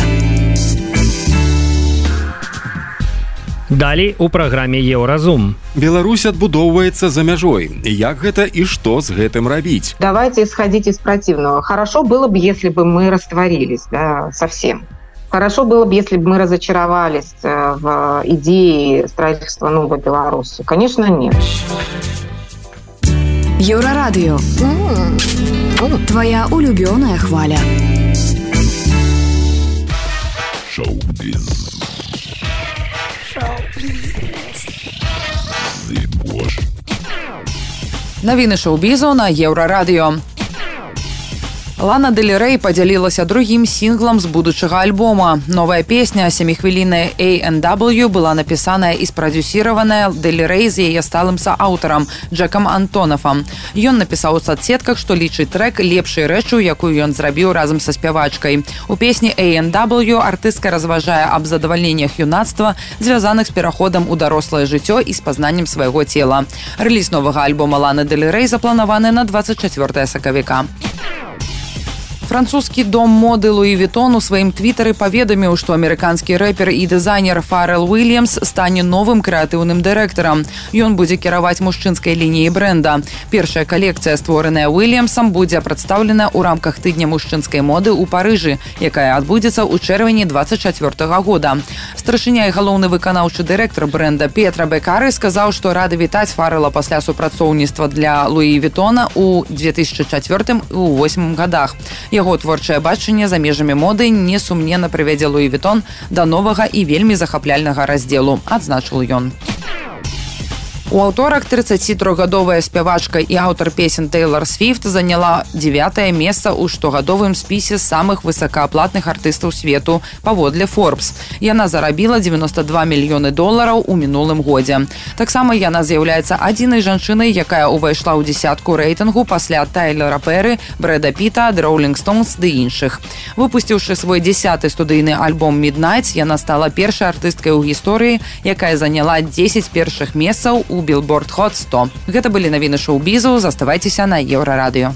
Далей у праграме Еўразум. Беларусь адбудоўваецца за мяжой. Як гэта і што з гэтым рабіць? Давайте исходить из противного. Хорошо было бы, если бы мы растворились, совсем. Хорошо было бы, если бы мы разочаровались в идее строительства новой Беларуси. Конечно, нет. Еўрарадыё. Твоя улюбёная хваля. Шоу-биз. Навіны шоу-бізу на Еўрарадыё. Лана Дель Рэй падзялілася другім сінглам з будучага альбома. Новая песня, 7-хвілінная A&W, была напісаная і спрадюсіраваная Дель Рэй з яе сталым сааўтарам Джекам Антонафам. Ён напісаў у соцсетках, што лічыць трэк лепшай рэчу, якую ён зрабіў разам са спявачкай. У песні A&W артыстка разважае аб задавальненнях юнацтва, звязаных з пераходам у дарослае жыццё і спазнаннем свайго цела. Рэліз новага альбома Ланы Дель Рэй запланаваны на 24 сакавіка. Французскі дом моды Луі Вітон у сваім твітары паведаміў, што амерыканскі рэпер і дызайнер Фарэл Уильямс стане новым крэатыўным дырэктарам. Ён будзе кіраваць мужчынскай лініяй брэнда. Першая калекцыя, створаная Уильямсам, будзе прадстаўлена ў рамках тыдня мужчынскай моды ў Парыжы, якая адбудзецца ў чэрвені 2024 года. Старшыня і галоўны выканаўчы дырэктар брэнда Петра Бекары сказаў, што рады вітаць Фарэла пасля супрацоўніцтва для Луі Вітона ў 2004 і 2008 годах. Яго творчае бачанне за межамі моды несумненна прывядзе Луі Вітон да новага і вельмі захапляльнага раздзелу, адзначыў ён. У аўторак 33гадовая спявачка і аўтар песен Тэйлар Свіфт заняла 9-е месца ў штогадовым спісе самых высокааплатных артыстаў свету паводле Forbes. Яна зарабіла $92 мільёны у мінулым годзе. Таксама яна з'яўляецца адзінай жанчынай, якая ўвайшла ў дзесятку рэйтынгу пасля Тайлера Пэры, Брэда Піта, The Rolling Stones ды іншых. Выпусціўшы свой 10-й студыйны альбом Midnight, яна стала першай артысткай у гісторыі, якая заняла 10 першых месцаў у Billboard Hot 100. Гэта былі навіны шоу-бізу. Заставайцеся на Еўрарадыё.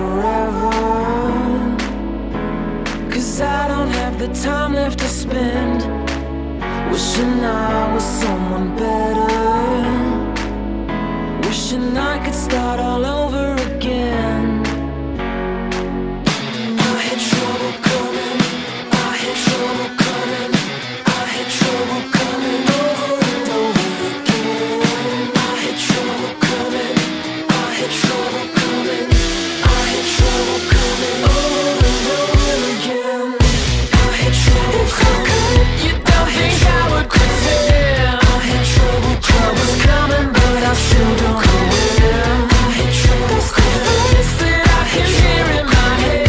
forever. 'Cause I don't have the time left to spend wishing I was someone better, wishing I could start all over again. I had trouble coming, I had trouble coming, I had trouble coming over and over again. I had trouble coming, I had trouble coming, I had trouble coming over and over again. I had trouble coming, you don't think I would quit it. I had trouble coming, but I still don't know where. I had trouble coming, it's that I can hear in my head.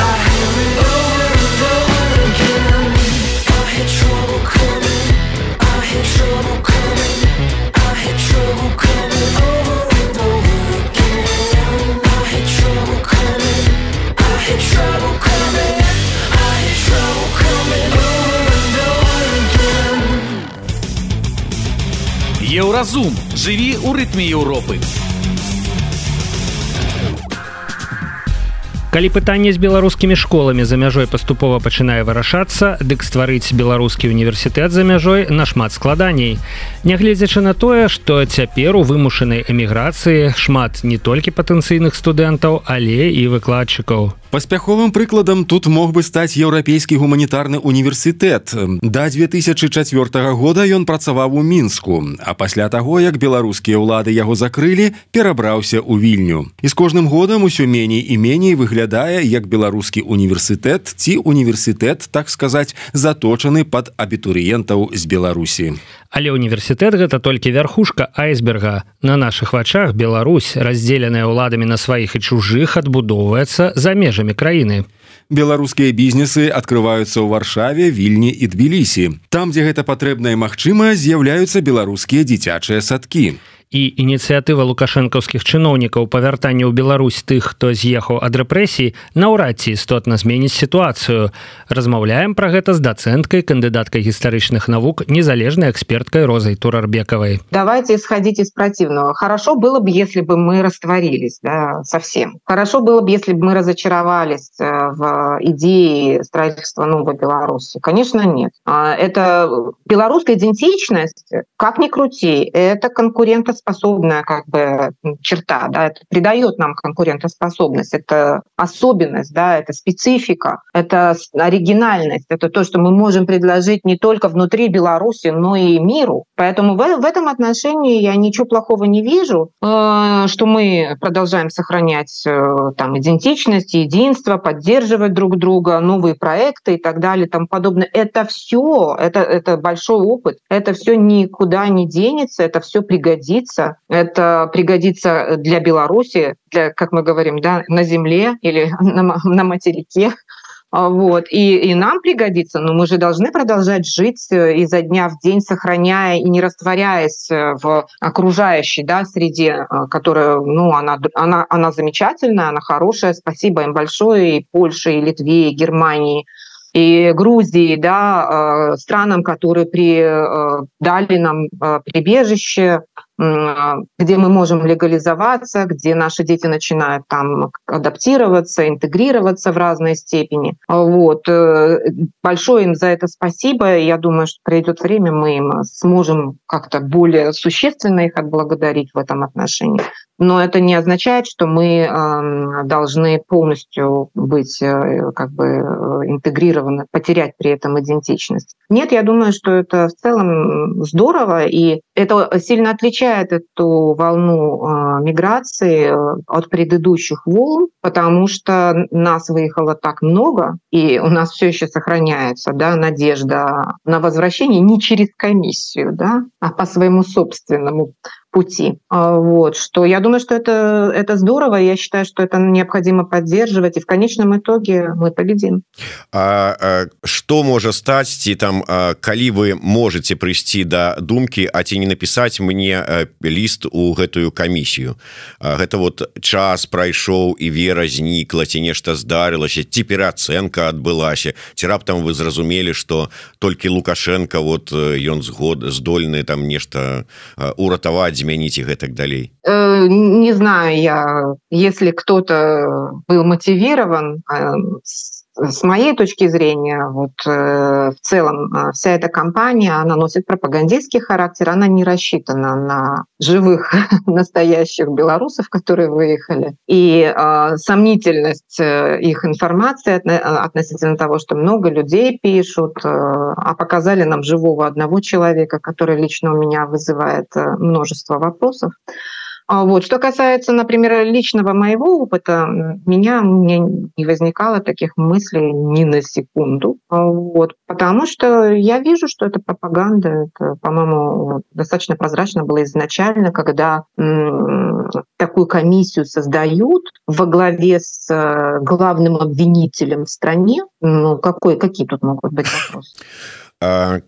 I hear it over and over again. I had trouble coming, I had trouble coming, I had trouble coming over and over again. I had trouble coming, I had trouble coming, I had trouble coming over and over again. Еўразум. Жыві ў рытме Еўропы. Калі пытанне з беларускімі школамі за мяжой паступова пачынае вырашацца, дык стварыць беларускі універсітэт за мяжой нашмат складаней. Нягледзячы на тое, што цяпер у вымушанай эміграцыі шмат не толькі патэнцыйных студэнтаў, але і выкладчыкаў. Паспяховым прыкладам тут мог бы стаць еўрапейскі гуманітарны універсітэт. Да 2004 года ён працаваў у Мінску, а пасля таго, як беларускія ўлады яго закрылі, перабраўся ў Вільню. І з кожным годам усё меней і меней выглядае як беларускі універсітэт ці універсітэт, так сказаць, заточаны пад абітурыентаў з Беларусі. Але універсітэт гэта толькі вярхушка айсберга. На нашых вачах Беларусь, раздзеленая ўладамі на сваіх і чужых, адбудоўваецца за межамі краіны. Беларускія бізнесы адкрываюцца ў Варшаве, Вільні і Тбілісі. Там, дзе гэта патрэбна і магчыма, з'яўляюцца беларускія дзіцячыя садкі. І ініцыятыва лукашэнкаўскіх чыноўнікаў па вяртанню ў Беларусь тых, хто з'ехаў ад рэпрэсій, наўрад ці істотна зменіць сітуацыю. Размаўляем пра гэта з дацэнткай, кандыдаткай гістарычных навук, незалежнай эксперткай Розай Турарбекавай. Давайте исходить из противного. Хорошо было бы, если бы мы растворились, да, совсем. Хорошо было бы, если бы мы разочаровались в идее строительства новой Беларуси. Конечно, нет. Это белорусская идентичность, как ни крути, это конкурентоспособная как бы черта, да, это придает нам конкурентоспособность, это особенность, да, это специфика, это оригинальность, это то, что мы можем предложить не только внутри Беларуси, но и миру. Поэтому в этом отношении я ничего плохого не вижу, что мы продолжаем сохранять там идентичность, единство, поддерживать друг друга, новые проекты и так далее, и тому подобное. Это все, это большой опыт, это все никуда не денется, это все пригодится. Это пригодится для Беларуси, для, как мы говорим, да, на земле или на материке. Вот. И нам пригодится, но мы же должны продолжать жить изо дня в день, сохраняя и не растворяясь в окружающей, да, среде, которая, ну, она замечательная, она хорошая. Спасибо им большое и Польше, и Литве, и Германии, и Грузии, да, странам, которые дали нам прибежище, где мы можем легализоваться, где наши дети начинают там адаптироваться, интегрироваться в разной степени. Вот. Большое им за это спасибо. Я думаю, что придет время, мы им сможем как-то более существенно их отблагодарить в этом отношении. Но это не означает, что мы должны полностью быть как бы интегрированы, потерять при этом идентичность. Нет, я думаю, что это в целом здорово, и это сильно отличает эту волну миграции от предыдущих волн, потому что нас выехало так много, и у нас все еще сохраняется, да, надежда на возвращение не через комиссию, да, а по своему собственному пути. Вот, что я думаю, что это здорово, и я считаю, что это необходимо поддерживать, и в конечном итоге мы победим. Что может стать, ці там, калі вы можете прийти до думки, а ці не написать мне лист у гэтую комиссию? Гэта вот час прайшоў і вера знікла, ці нешта здарылася, ці пераацэнка адбылася, ці раптам вы зразумелі, что толькі Лукашенко, вот ён здольны там нешта уратаваць змяніць і гэтак далей? Не знаю я, если кто-то был мотивирован, с моей точки зрения, вот в целом вся эта кампания, она носит пропагандистский характер, она не рассчитана на живых настоящих белорусов, которые выехали. И сомнительность их информации относительно того, что много людей пишут, а показали нам живого одного человека, который лично у меня вызывает множество вопросов. Вот. Что касается, например, личного моего опыта, у меня не возникало таких мыслей ни на секунду. Вот. Потому что я вижу, что это пропаганда. Это, по-моему, достаточно прозрачно было изначально, когда такую комиссию создают во главе с главным обвинителем в стране. Ну, какие тут могут быть вопросы?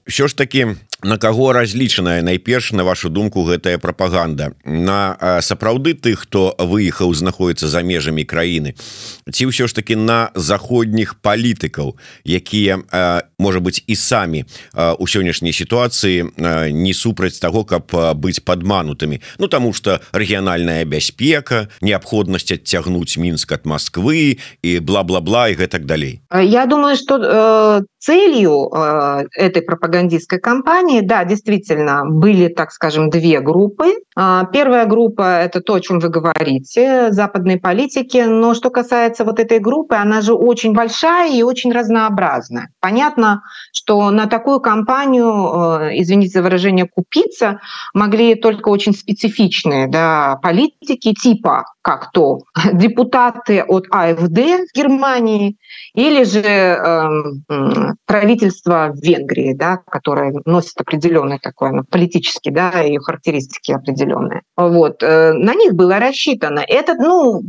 Що ж таки, на каго разлічаная найперш, на вашу думку, гэтая прапаганда? На сапраўды тых, хто выехаў, знаходіцца за межамі краіны? Ці ўсё ж таки на заходніх палітыкаў, якія, можа быць, і самі у сённяшняй сітуацыі не супраць таго, каб быць падманутымі? Ну, таму што рэгіянальная бяспека, неабходнасць адцягнуць Мінск ад Масквы і бла-бла-бла і гэтак далей. Я думаю, что целью этой пропагандистской кампании, да, действительно, были, так скажем, две группы. Первая группа – это то, о чем вы говорите, западные политики. Но что касается вот этой группы, она же очень большая и очень разнообразная. Понятно, что на такую кампанию, извините за выражение, купиться могли только очень специфичные, да, политики типа как то депутаты от АФД в Германии или же правительство в Венгрии, да, которое носит определенный такой политический, да, и характеристики определенные. Вот. На них было рассчитано. Это,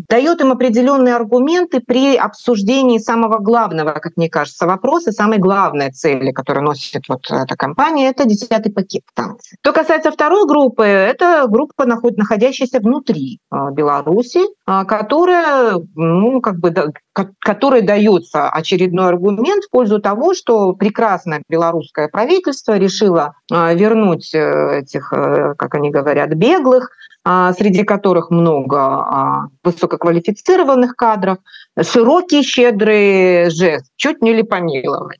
дает им определенные аргументы при обсуждении самого главного, как мне кажется, вопроса, самой главной цели, которую носит вот эта кампания, это 10-й пакет санкций. Что касается второй группы, это группа, находящаяся внутри Беларуси, которая, которой дается очередной аргумент в пользу того, что прекрасное белорусское правительство решило вернуть этих, как они говорят, беглых, среди которых много высококвалифицированных кадров, широкий, щедрый жест, чуть не ли помиловать.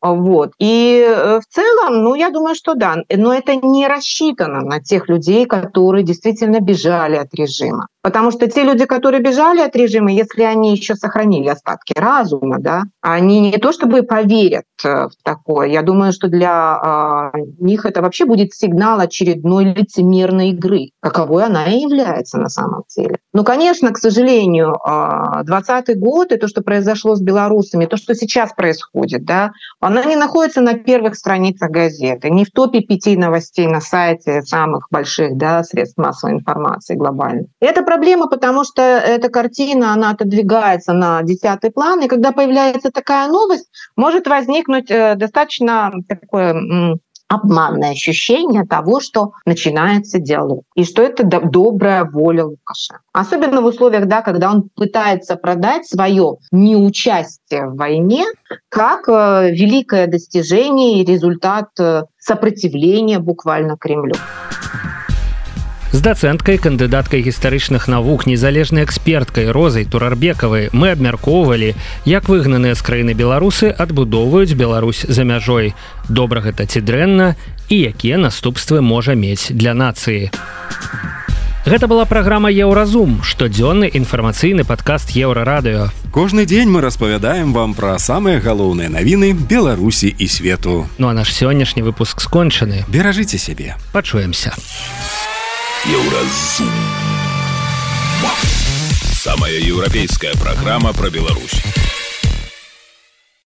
Вот. И в целом, я думаю, что да, но это не рассчитано на тех людей, которые действительно бежали от режима. Потому что те люди, которые бежали от режима, если они еще сохранили остатки разума, да, они не то чтобы поверят в такое. Я думаю, что для них это вообще будет сигнал очередной лицемерной игры, каковой она и является на самом деле. Но, конечно, к сожалению, 2020 год и то, что произошло с белорусами, то, что сейчас происходит, да, она не находится на первых страницах газеты, не в топе 5 новостей на сайте самых больших, да, средств массовой информации глобальных. Это проблема, потому что эта картина, она отодвигается на 10-й план, и когда появляется такая новость, может возникнуть достаточно такое обманное ощущение того, что начинается диалог, и что это добрая воля Лукашенко. Особенно в условиях, да, когда он пытается продать свое неучастие в войне как великое достижение и результат сопротивления буквально Кремлю. З дацэнткай, кандыдаткай гістарычных навук, незалежнай эксперткай Розай Турарбекавай мы абмяркоўвалі, як выгнаныя з краіны беларусы адбудоўваюць Беларусь за мяжой. Добра гэта ці дрэнна і якія наступствы можа мець для нацыі. Гэта была праграма «Еўразум», штодзённы інфармацыйны падкаст «Еўрарадыё». Кожны дзень мы распавядаем вам пра самыя галоўныя навіны Беларусі і свету. Ну а наш сённяшні выпуск скончаны. Беражыце сябе. Пачуемся. Еўразум. Самая еўрапейская программа про Беларусь.